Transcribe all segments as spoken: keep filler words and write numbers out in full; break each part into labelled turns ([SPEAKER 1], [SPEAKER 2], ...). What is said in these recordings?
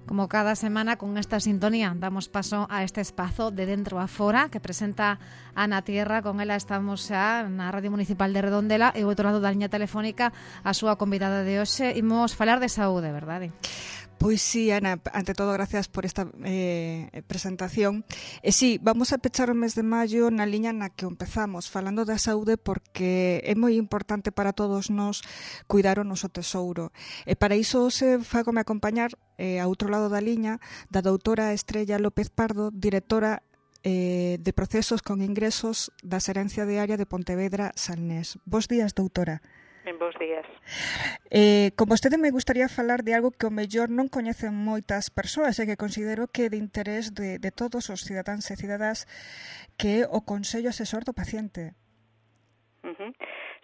[SPEAKER 1] Como cada semana, con esta sintonía, damos paso a este espazo de Dentro a Fora que presenta Ana Tierra. Con ela estamos xa na Radio Municipal de Redondela e ao outro lado da liña telefónica a súa convidada de hoxe. Imos falar de saúde, verdade?
[SPEAKER 2] Pois sí, Ana, ante todo, gracias por esta eh, presentación. E sí, vamos a pechar o mes de maio na liña na que empezamos, falando da saúde, porque é moi importante para todos nós cuidar o noso tesouro. E para iso se fagome acompañar eh, a outro lado da liña da doutora Estrella López Pardo, directora eh, de procesos con ingresos da Xerencia de Área de Pontevedra Salnés. Bos días, doutora.
[SPEAKER 3] En bons días.
[SPEAKER 2] Eh, con vostede me gustaría falar de algo que o mellor non coñecen moitas persoas e que considero que é de interés de, de todos os cidadáns e cidadás, que é o Consello Asesor do Paciente.
[SPEAKER 3] Uh-huh.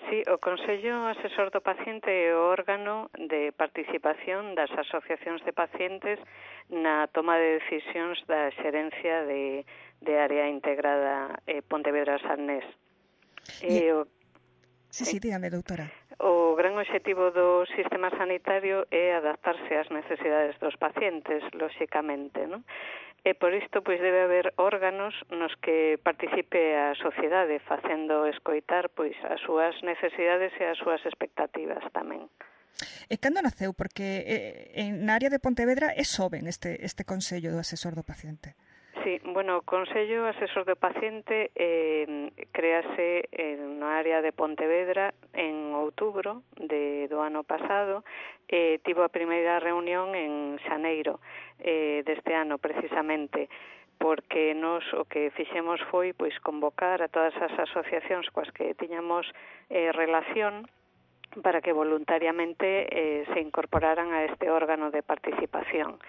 [SPEAKER 3] Sí, o Consello Asesor do Paciente é o órgano de participación das asociacións de pacientes na toma de decisións da xerencia de, de área integrada eh, Pontevedra Salnés.
[SPEAKER 2] E...
[SPEAKER 3] E o...
[SPEAKER 2] Sí, sí, dígame, doutora.
[SPEAKER 3] O gran obxectivo do sistema sanitario é adaptarse ás necesidades dos pacientes, lóxicamente, non? E por isto pois debe haber órganos nos que participe a sociedade facendo escoitar pois as súas necesidades e as súas expectativas tamén.
[SPEAKER 2] E cando naceu? Porque eh, en na área de Pontevedra é soben este, este Consello do Asesor do Paciente.
[SPEAKER 3] Sí, bueno, o Consello Asesor do Paciente eh, créase na área de Pontevedra en outubro de, do ano pasado e eh, tivo a primeira reunión en xaneiro eh, deste ano precisamente, porque nos o que fixemos foi pois convocar a todas as asociacións coas que tiñamos eh, relación para que voluntariamente eh, se incorporaran a este órgano de participación.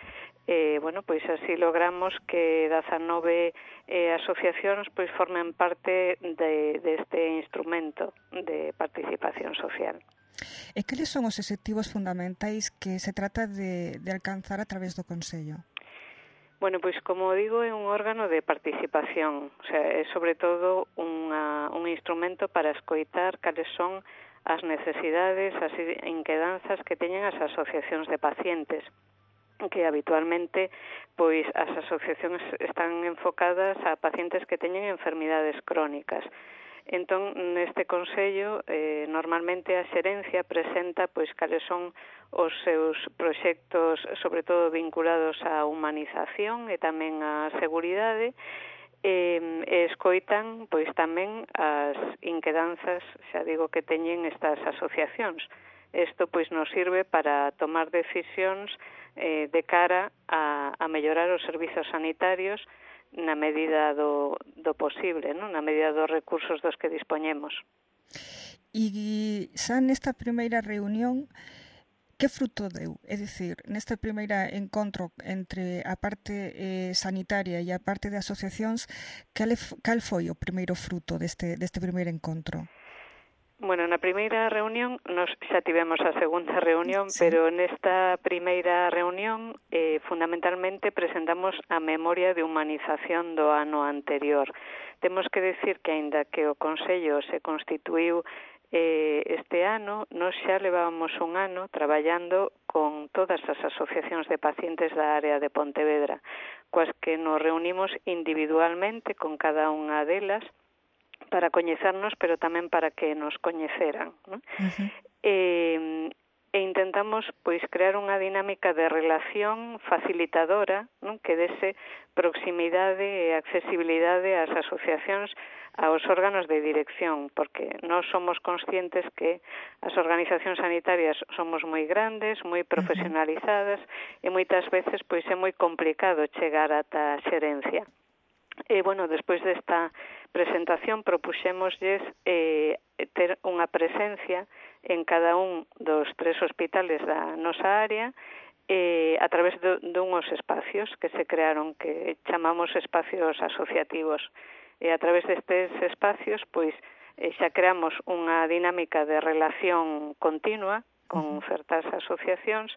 [SPEAKER 3] Eh, bueno, pois así logramos que dezanove eh, asociacións pois formen parte de, de este instrumento de participación social.
[SPEAKER 2] E cales son os obxectivos fundamentais que se trata de, de alcanzar a través do Consello?
[SPEAKER 3] Bueno, pois como digo, é un órgano de participación, o sea, é sobre todo unha, un instrumento para escoitar cales son as necesidades, as inquedanzas que teñen as asociacións de pacientes, que habitualmente pois as asociacións están enfocadas a pacientes que teñen enfermidades crónicas. Entón, neste Consello, eh, normalmente a xerencia presenta pois cales son os seus proxectos, sobre todo vinculados á humanización e tamén á seguridade, e, e escoitan pois tamén as inquedanzas, xa digo, que teñen estas asociacións. Isto pois nos sirve para tomar decisións eh, de cara a, a mellorar os servizos sanitarios na medida do, do posible, non? Na medida dos recursos dos que dispoñemos.
[SPEAKER 2] E xa nesta primeira reunión, que fruto deu? É dicir, nesta primeira encontro entre a parte eh, sanitaria e a parte de asociacións, cal, cal foi o primeiro fruto deste, deste primeiro encontro?
[SPEAKER 3] Bueno, na primeira reunión, nos xa tivemos a segunda reunión, sí. Pero nesta primeira reunión eh, fundamentalmente presentamos a memoria de humanización do ano anterior. Temos que decir que, aínda que o Consello se constituíu eh, este ano, nos xa levábamos un ano traballando con todas as asociacións de pacientes da área de Pontevedra, coas que nos reunimos individualmente con cada unha delas, para coñecernos, pero tamén para que nos coñeceran, ¿no? Uh-huh. E, e intentamos pois crear unha dinámica de relación facilitadora, ¿no? Que dese proximidade e accesibilidade ás asociacións, aos órganos de dirección, porque nós somos conscientes que as organizacións sanitarias somos moi grandes, moi profesionalizadas, uh-huh. E moitas veces pois é moi complicado chegar ata a xerencia. E, bueno, despois desta presentación propuxémoslles eh, ter unha presencia en cada un dos tres hospitales da nosa área eh, a través de, de unhos espacios que se crearon, que chamamos espacios asociativos. E a través destes espacios, pois, eh, xa creamos unha dinámica de relación continua con certas asociacións.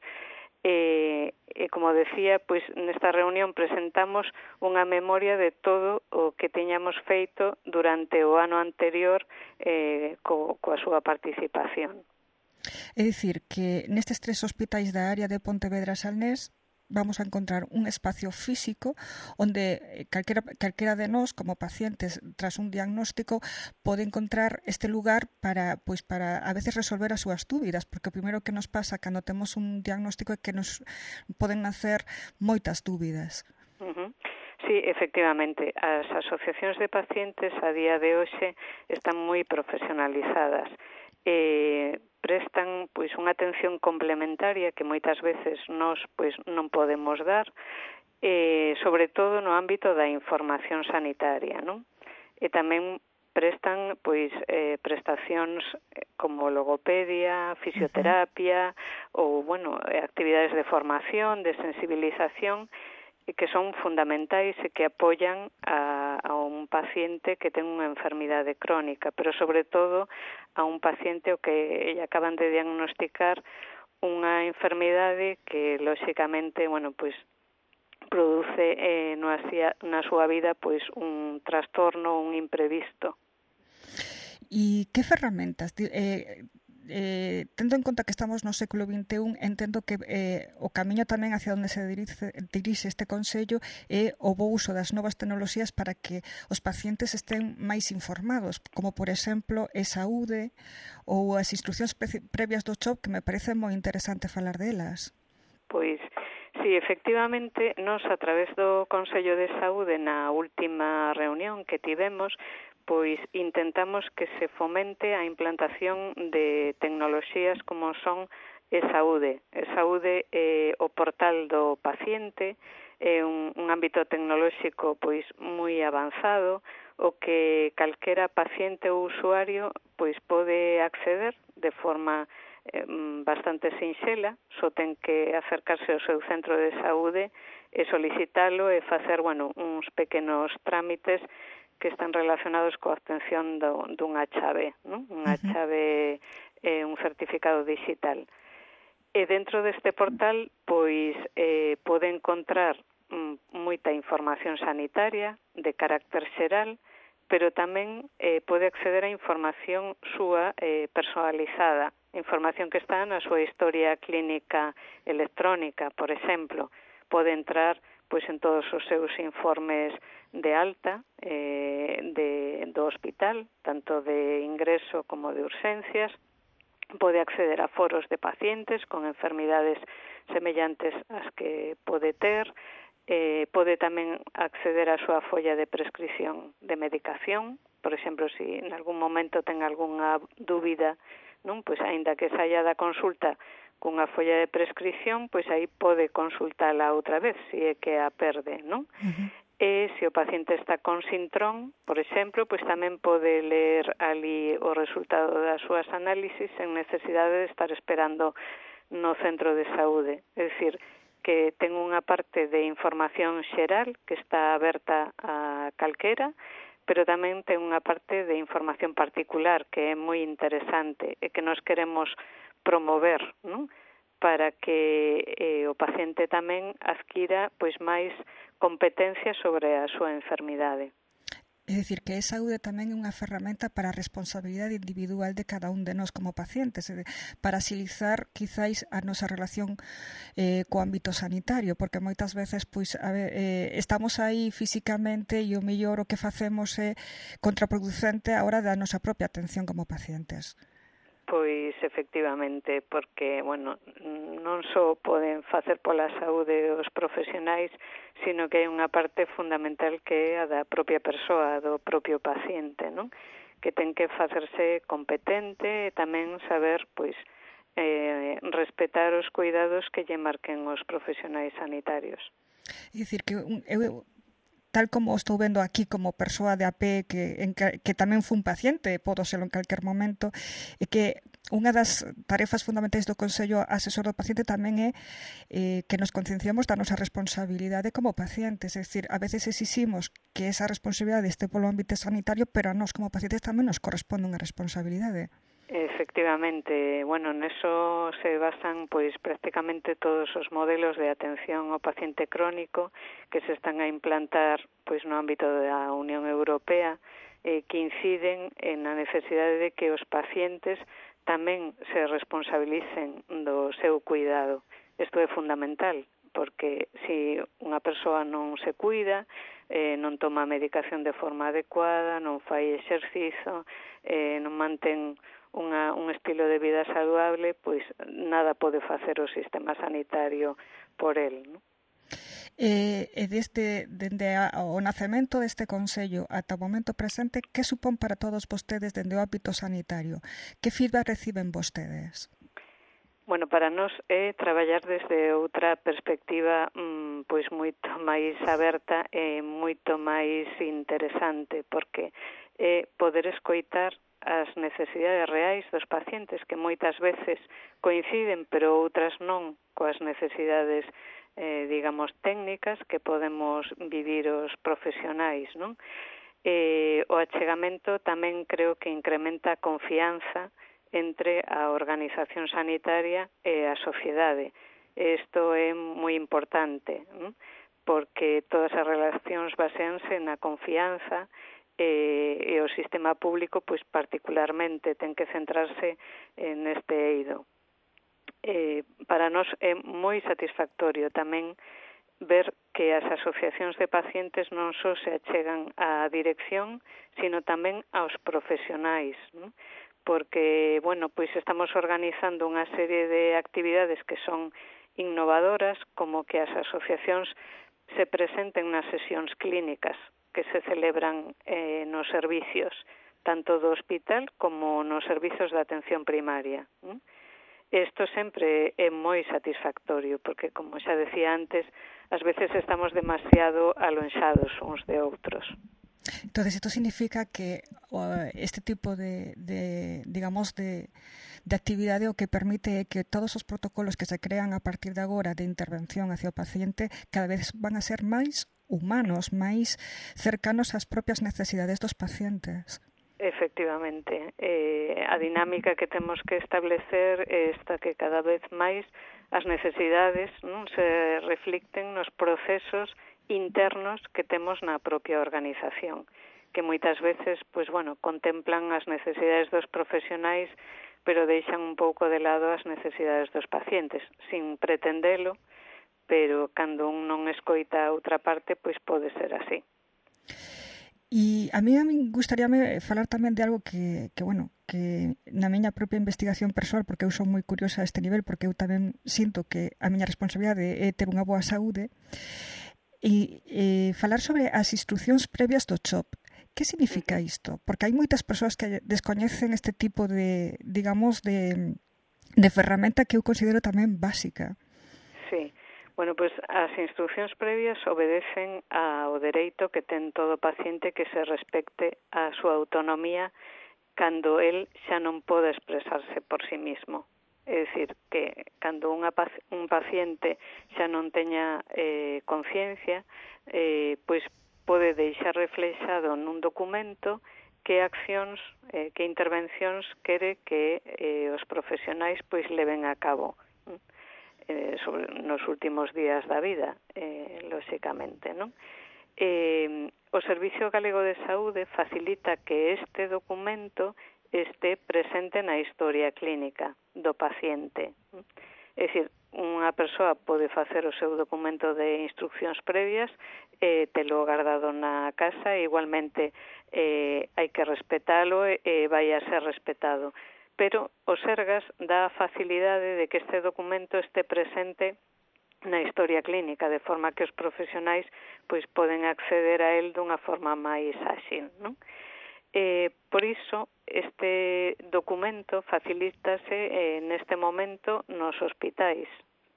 [SPEAKER 3] E, e como decía, pois nesta reunión presentamos unha memoria de todo o que teñamos feito durante o ano anterior eh, co, coa súa participación.
[SPEAKER 2] É dicir, que nestes tres hospitais da área de Pontevedra Salnés vamos a encontrar un espacio físico onde calquera, calquera de nós, como pacientes, tras un diagnóstico, pode encontrar este lugar para, pois, para a veces resolver as súas dúbidas, porque o primeiro que nos pasa cando temos un diagnóstico é que nos poden nacer moitas dúbidas.
[SPEAKER 3] Uh-huh. Sí, efectivamente, as asociacións de pacientes a día de hoxe están moi profesionalizadas. Eh, prestan pois unha atención complementaria que moitas veces nós pois non podemos dar, eh, sobre todo no ámbito da información sanitaria, non? E tamén prestan pois eh, prestacións como logopedia, fisioterapia, uh-huh. ou bueno, actividades de formación, de sensibilización, que son fundamentais e que apoian a, a un paciente que ten unha enfermidade crónica, pero sobre todo a un paciente o que lle acaban de diagnosticar unha enfermidade que lóxicamente, bueno, pois produce eh, no asia, na súa vida pois un trastorno, un imprevisto.
[SPEAKER 2] E que ferramentas eh, Eh, tendo en conta que estamos no século vinte e un, entendo que eh, o camiño tamén hacia onde se dirixe, dirixe este Consello é o bo uso das novas tecnoloxías para que os pacientes estén máis informados, como por exemplo e saúde ou as instruccións pre- previas do C H O P, que me parece moi interesante falar delas.
[SPEAKER 3] Pois, sí, efectivamente, nós a través do Consello de Saúde na última reunión que tivemos, pois intentamos que se fomente a implantación de tecnoloxías como son e saúde. E saúde é o portal do paciente, é un, un ámbito tecnolóxico pois moi avanzado, o que calquera paciente ou usuario pois pode acceder de forma eh, bastante sinxela, só ten que acercarse ao seu centro de saúde e solicitalo e facer, bueno, uns pequenos trámites que están relacionados coa obtención do, dunha chave, non? Unha chave, eh, un certificado digital. E dentro deste portal, pois, eh, pode encontrar mm, moita información sanitaria de carácter xeral, pero tamén eh, pode acceder a información súa eh, personalizada, información que está na súa historia clínica electrónica, por exemplo. Pode entrar pois en todos os seus informes de alta eh, de, do hospital, tanto de ingreso como de urxencias, pode acceder a foros de pacientes con enfermidades semellantes ás que pode ter, eh, pode tamén acceder á súa folla de prescripción de medicación, por exemplo, se en algún momento ten algunha dúbida, non, pois aínda que saia da consulta cunha folla de prescripción, pois aí pode consultala outra vez, se é que a perde, non? Uh-huh. E se o paciente está con sintrón, por exemplo, pois tamén pode ler ali o resultado das súas análisis en necesidade de estar esperando no centro de saúde. É dicir, que ten unha parte de información xeral que está aberta a calquera, pero tamén ten unha parte de información particular que é moi interesante e que nos queremos promover, non? Para que eh, o paciente tamén adquira pois máis competencia sobre a súa enfermidade.
[SPEAKER 2] É dicir, que a saúde tamén é unha ferramenta para a responsabilidade individual de cada un de nós como pacientes, para axilizar quizáis a nosa relación eh, co ámbito sanitario, porque moitas veces pois a ver, eh, estamos aí físicamente e o mellor o que facemos é contraproducente á hora da nosa propia atención como pacientes.
[SPEAKER 3] Pois, efectivamente, porque, bueno, non só poden facer pola saúde os profesionais, sino que hai unha parte fundamental que é a da propia persoa, do propio paciente, non? Que ten que facerse competente e tamén saber, pois, eh, respetar os cuidados que lle marquen os profesionais sanitarios.
[SPEAKER 2] É dicir, que eu... tal como estou vendo aquí como persoa de a pé que, en que, que tamén fun paciente, podo serlo en calquer momento, e que unha das tarefas fundamentais do Consello Asesor do Paciente tamén é eh, que nos concienciamos da nosa responsabilidade como pacientes, é dicir, a veces exiximos que esa responsabilidade este polo ámbito sanitario, pero a nós como pacientes tamén nos corresponde unha responsabilidade.
[SPEAKER 3] Efectivamente, bueno, neso se basan pois prácticamente todos os modelos de atención ao paciente crónico que se están a implantar pois no ámbito da Unión Europea eh, que inciden en a necesidade de que os pacientes tamén se responsabilicen do seu cuidado. Isto é fundamental, porque se unha persoa non se cuida, eh, non toma medicación de forma adecuada, non fai exercizo, eh, non mantén unha, un estilo de vida saludable, pois nada pode facer o sistema sanitario por el, non?
[SPEAKER 2] E, e desde, dende a, o nacemento deste Consello ata o momento presente, que supón para todos vostedes dende o ámbito sanitario? Que feedback reciben vostedes?
[SPEAKER 3] Bueno, para nós é traballar desde outra perspectiva mmm, pois moito máis aberta e moito máis interesante, porque é poder escoitar as necesidades reais dos pacientes, que moitas veces coinciden, pero outras non, coas necesidades eh, digamos, técnicas que podemos vivir os profesionais, non? Eh, o achegamento tamén creo que incrementa a confianza entre a organización sanitaria e a sociedade. Isto é moi importante, non? Porque todas as relacións baseanse na confianza e, e o sistema público, pois particularmente, ten que centrarse neste eido. Eh, para nós é moi satisfactorio tamén ver que as asociacións de pacientes non só se achegan á dirección, sino tamén aos profesionais, non? Porque, bueno, pois estamos organizando unha serie de actividades que son innovadoras, como que as asociacións se presenten nas sesións clínicas que se celebran eh, nos servicios, tanto do hospital como nos servizos de atención primaria, non? Isto sempre é moi satisfactorio, porque, como xa decía antes, ás veces estamos demasiado alonxados uns de outros.
[SPEAKER 2] Entonces, esto significa que uh, este tipo de, de digamos, de, de actividade o que permite é que todos os protocolos que se crean a partir de agora de intervención hacia o paciente cada vez van a ser máis humanos, máis cercanos ás propias necesidades dos pacientes.
[SPEAKER 3] Efectivamente, eh, a dinámica que temos que establecer é esta, que cada vez máis as necesidades non se reflicten nos procesos internos que temos na propia organización, que moitas veces, pois bueno, contemplan as necesidades dos profesionais, pero deixan un pouco de lado as necesidades dos pacientes, sin pretendelo, pero cando un non escoita a outra parte, pois pode ser así.
[SPEAKER 2] E a mí me gustaríame falar tamén de algo que, que, bueno, que na miña propia investigación persoal, porque eu son moi curiosa a este nivel, porque eu tamén sinto que a miña responsabilidade é ter unha boa saúde, e, e falar sobre as instruccións previas do C H O P. Que significa isto? Porque hai moitas persoas que descoñecen este tipo de, digamos, de, de ferramenta que eu considero tamén básica.
[SPEAKER 3] Sí. Bueno, pois as instruccións previas obedecen ao dereito que ten todo paciente que se respecte a súa autonomía cando el xa non pode expresarse por sí mismo. É dicir, que cando unha, un paciente xa non teña eh, conciencia, eh, pois pode deixar reflexado nun documento que accións, eh, que intervencións quere que eh, os profesionais pois leven a cabo sobre nos últimos días da vida, eh, lóxicamente, non? Eh, o Servicio Galego de Saúde facilita que este documento este presente na historia clínica do paciente. É dicir, unha persoa pode facer o seu documento de instruccións previas, eh, telo guardado na casa, e igualmente eh, hai que respetalo e eh, vai a ser respetado. Pero o Sergas dá a facilidade de que este documento este presente na historia clínica, de forma que os profesionais pois poden acceder a él dunha forma máis áxil, non? Eh, por iso, este documento facilítase eh, neste momento nos hospitais.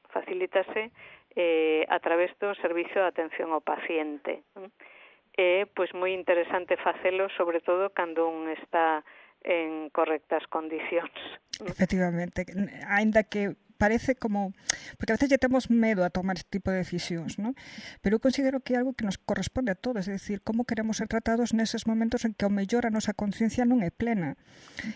[SPEAKER 3] Facilítase eh, a través do servicio de atención ao paciente. É pois moi interesante facelo, sobre todo cando un está en correctas condicións.
[SPEAKER 2] Efectivamente, aínda que parece como, porque a veces ya temos medo a tomar este tipo de decisións, ¿no? Pero eu considero que é algo que nos corresponde a todos, é dicir, como queremos ser tratados neses momentos en que ao mellor a nosa conciencia non é plena.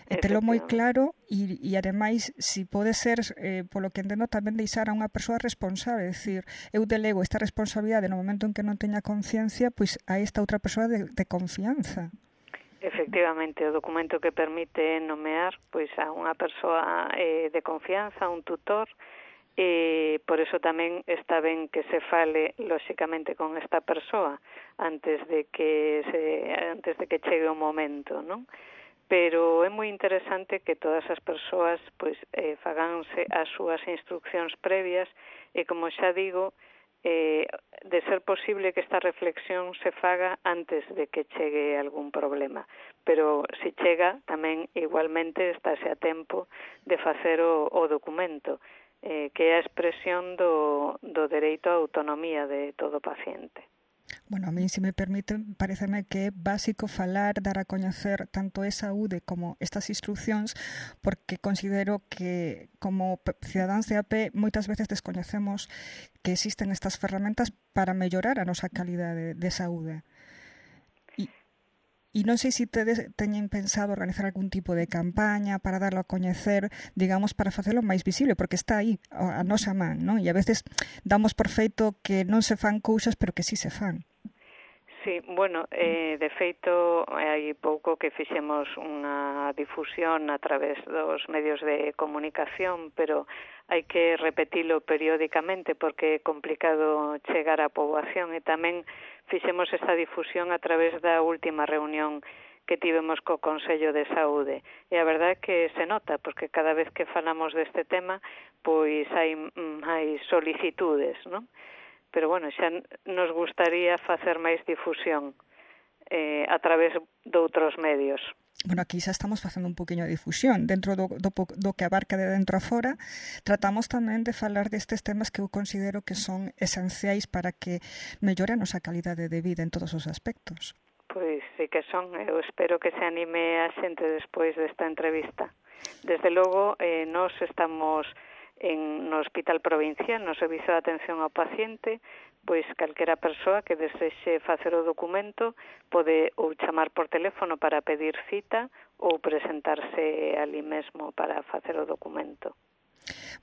[SPEAKER 2] E telo moi claro, e, e ademais, si pode ser, eh, polo que entendo, tamén deixar a unha persoa responsable, é dicir, eu delego esta responsabilidade no momento en que non teña conciencia, pois a esta outra persoa de, de confianza.
[SPEAKER 3] Efectivamente, o documento que permite nomear pois a unha persoa eh, de confianza, un tutor, e por eso tamén está ben que se fale lóxicamente con esta persoa antes de que se antes de que chegue o momento, non? Pero é moi interesante que todas as persoas pois eh, faganse as súas instruccións previas e, como xa digo, eh, de ser posible que esta reflexión se faga antes de que chegue algún problema, pero se chega tamén igualmente estáse a tempo de facer o, o documento, eh, que é a expresión do, do dereito á autonomía de todo paciente.
[SPEAKER 2] Bueno, a mí, se me permite, pareceme que é básico falar, dar a coñecer tanto a saúde como estas instruccións, porque considero que como cidadáns de a pé moitas veces descoñecemos que existen estas ferramentas para mellorar a nosa calidade de saúde. E non sei se tedes, teñen pensado organizar algún tipo de campaña para darlo a coñecer, digamos, para facelo máis visible, porque está aí, a nosa man, non? E a veces damos por feito que non se fan cousas, pero que sí se fan.
[SPEAKER 3] Sí, bueno, eh, de feito, hai pouco que fixemos unha difusión a través dos medios de comunicación, pero hai que repetilo periódicamente porque é complicado chegar á poboación, e tamén fixemos esta difusión a través da última reunión que tivemos co Consello de Saúde. E a verdade é que se nota, porque cada vez que falamos deste tema, pois hai máis solicitudes, non? Pero, bueno, xa nos gustaría facer máis difusión eh, a través de outros medios.
[SPEAKER 2] Bueno, aquí xa estamos facendo un poquinho de difusión. Dentro do, do, do que abarca de dentro a fora, tratamos tamén de falar destes temas que eu considero que son esenciais para que mellore a nosa calidade de vida en todos os aspectos.
[SPEAKER 3] Pois sí que son. Eu espero que se anime a xente despois desta entrevista. Desde logo, eh, nós estamos en no Hospital Provincial, no Servizo de Atención ao Paciente, pois calquera persoa que desexe facer o documento pode ou chamar por teléfono para pedir cita ou presentarse ali mesmo para facer o documento.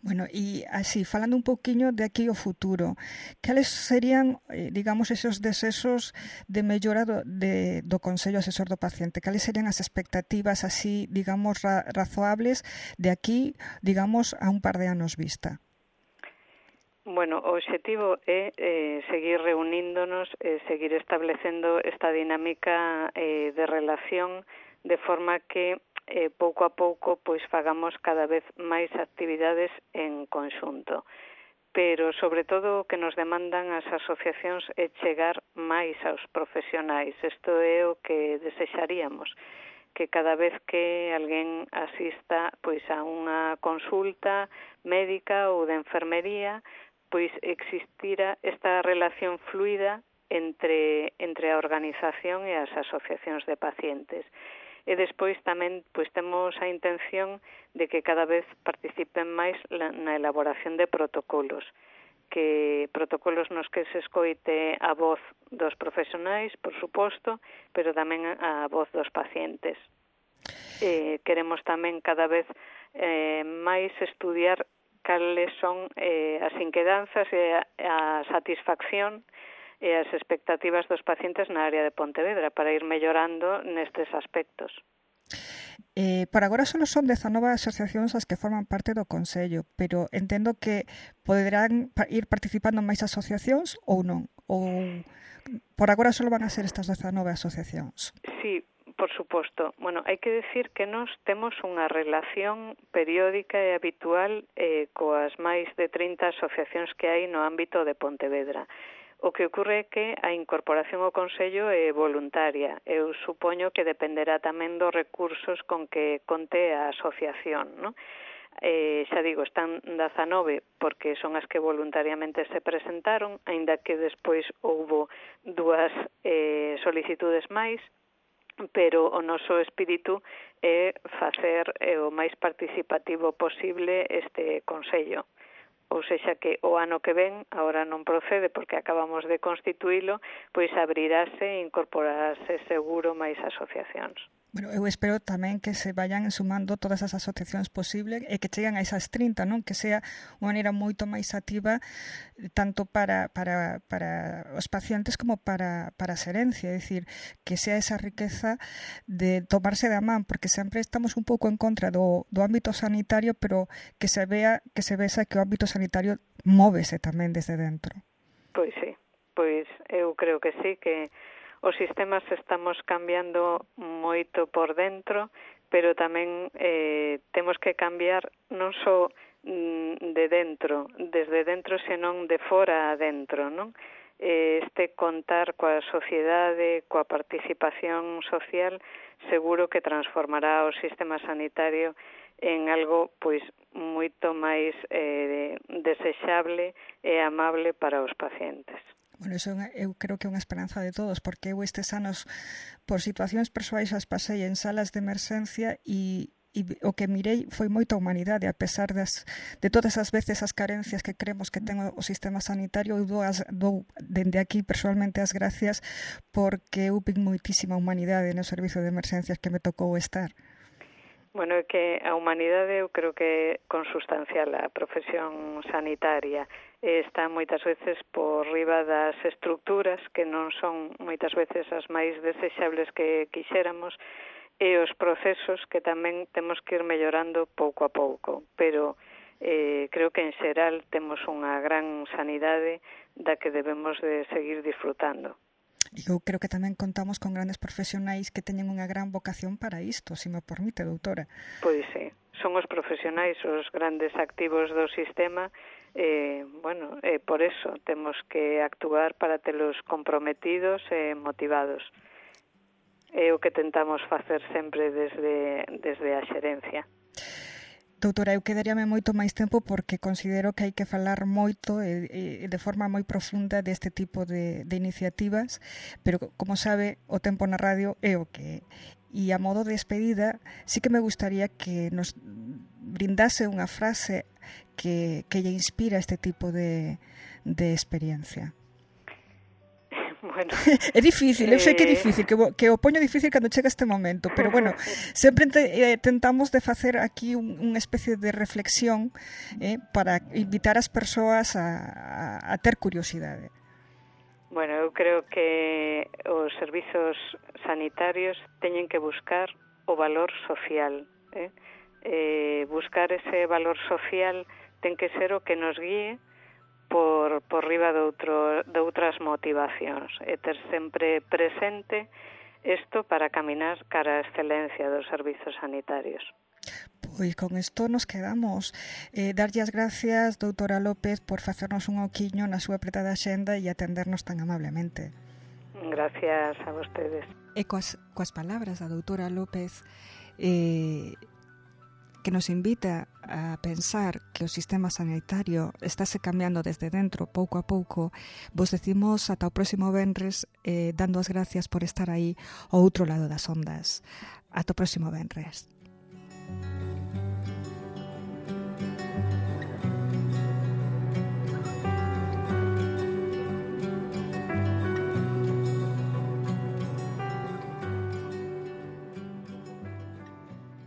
[SPEAKER 2] Bueno, e así, falando un pouquiño de aquí ao futuro, cales serían, eh, digamos, esos deseos de mellora do, de, do Consello Asesor do Paciente? Cales serían as expectativas así, digamos, ra, razoables de aquí, digamos, a un par de anos vista?
[SPEAKER 3] Bueno, o obxectivo é eh, seguir reuníndonos, eh, seguir establecendo esta dinámica eh, de relación de forma que eh, pouco a pouco pois fagamos cada vez máis actividades en conxunto. Pero, sobre todo, o que nos demandan as asociacións é chegar máis aos profesionais. Isto é o que desexaríamos, que cada vez que alguén asista pois a unha consulta médica ou de enfermería, pois existira esta relación fluida entre, entre a organización e as asociacións de pacientes. E despois tamén pois temos a intención de que cada vez participen máis na elaboración de protocolos, que protocolos nos que se escoite a voz dos profesionais, por suposto, pero tamén a voz dos pacientes. Eh, queremos tamén cada vez eh, máis estudiar cales son eh, as inquedanzas e a, a satisfacción e as expectativas dos pacientes na área de Pontevedra para ir mellorando nestes aspectos.
[SPEAKER 2] Eh, por agora só son dezanove asociacións as que forman parte do Consello, pero entendo que poderán ir participando máis asociacións ou non? Ou por agora só van a ser estas dezanove asociacións?
[SPEAKER 3] Sí, por suposto. Bueno, hai que decir que nós temos unha relación periódica e habitual eh, coas máis de trinta asociacións que hai no ámbito de Pontevedra. O que ocorre é que a incorporación ao Consello é voluntaria. Eu supoño que dependerá tamén dos recursos con que conte a asociación, non? Eh, xa digo, están dezanove porque son as que voluntariamente se presentaron, aínda que despois houbo dúas eh, solicitudes máis, pero o noso espírito é facer eh, o máis participativo posible este Consello. Ou sexa que o ano que ven, agora non procede porque acabamos de constituílo, pois abrirase e incorporarase seguro máis asociacións.
[SPEAKER 2] Bueno, eu espero tamén que se vayan sumando todas as asociacións posibles e que cheguen a esas trinta, non? Que sea unha maneira moito máis activa tanto para, para, para os pacientes como para, para a xerencia, é dicir, que sea esa riqueza de tomarse da man, porque sempre estamos un pouco en contra do, do ámbito sanitario, pero que se vea, que se vexa que o ámbito sanitario móvese tamén desde dentro.
[SPEAKER 3] Pois sí, pois eu creo que sí, que os sistemas estamos cambiando moito por dentro, pero tamén eh, temos que cambiar non só mm, de dentro, desde dentro, senón de fora a dentro, non? Eh, este contar coa sociedade, coa participación social, seguro que transformará o sistema sanitario en algo pois moito máis eh, desexable e amable para os pacientes.
[SPEAKER 2] Bueno, eso eu creo que é unha esperanza de todos, porque eu estes anos, por situacións persoais, as pasei en salas de emerxencia e, e o que mirei foi moita humanidade, a pesar das, de todas as veces as carencias que creemos que ten o sistema sanitario. Eu dou, as, dou dende aquí personalmente as gracias, porque eu vi moitísima humanidade no servizo de emerxencias que me tocou estar.
[SPEAKER 3] Bueno, é que a humanidade eu creo que é consustancial a profesión sanitaria. Está moitas veces por riba das estructuras, que non son moitas veces as máis desexables que quixéramos, e os procesos que tamén temos que ir mellorando pouco a pouco. Pero eh, creo que en xeral temos unha gran sanidade da que debemos de seguir disfrutando.
[SPEAKER 2] Eu creo que tamén contamos con grandes profesionais que teñen unha gran vocación para isto, se me permite, doutora.
[SPEAKER 3] Pois sí, son os profesionais os grandes activos do sistema, e, bueno, e por eso temos que actuar para telos comprometidos e motivados. É o que tentamos facer sempre desde, desde a xerencia.
[SPEAKER 2] Doutora, eu quedaríame moito máis tempo porque considero que hai que falar moito e, e de forma moi profunda deste tipo de, de iniciativas, pero como sabe, o tempo na radio é o que é. E a modo de despedida, sí que me gustaría que nos brindase unha frase que, que lle inspira este tipo de, de experiencia.
[SPEAKER 3] Bueno,
[SPEAKER 2] é difícil, eu sei que é difícil, que, que o poño difícil cando chega este momento, pero bueno, sempre eh, tentamos de facer aquí un, unha especie de reflexión eh, para invitar as persoas a, a, a ter curiosidade.
[SPEAKER 3] Bueno, eu creo que os servizos sanitarios teñen que buscar o valor social, eh? Eh, buscar ese valor social ten que ser o que nos guíe por, por riba de, outro, de outras motivacións, e ter sempre presente isto para caminar cara á excelencia dos servizos sanitarios.
[SPEAKER 2] Pois con isto nos quedamos. Eh, darlle as gracias, doutora López, por facernos un oquiño na súa apretada axenda e atendernos tan amablemente.
[SPEAKER 3] Gracias a vostedes.
[SPEAKER 2] E coas, coas palabras da doutora López, eh, que nos invita a pensar que o sistema sanitario estáse cambiando desde dentro pouco a pouco, vos decimos ata o próximo venres, eh, dando as gracias por estar aí ao outro lado das ondas. Ata o próximo venres.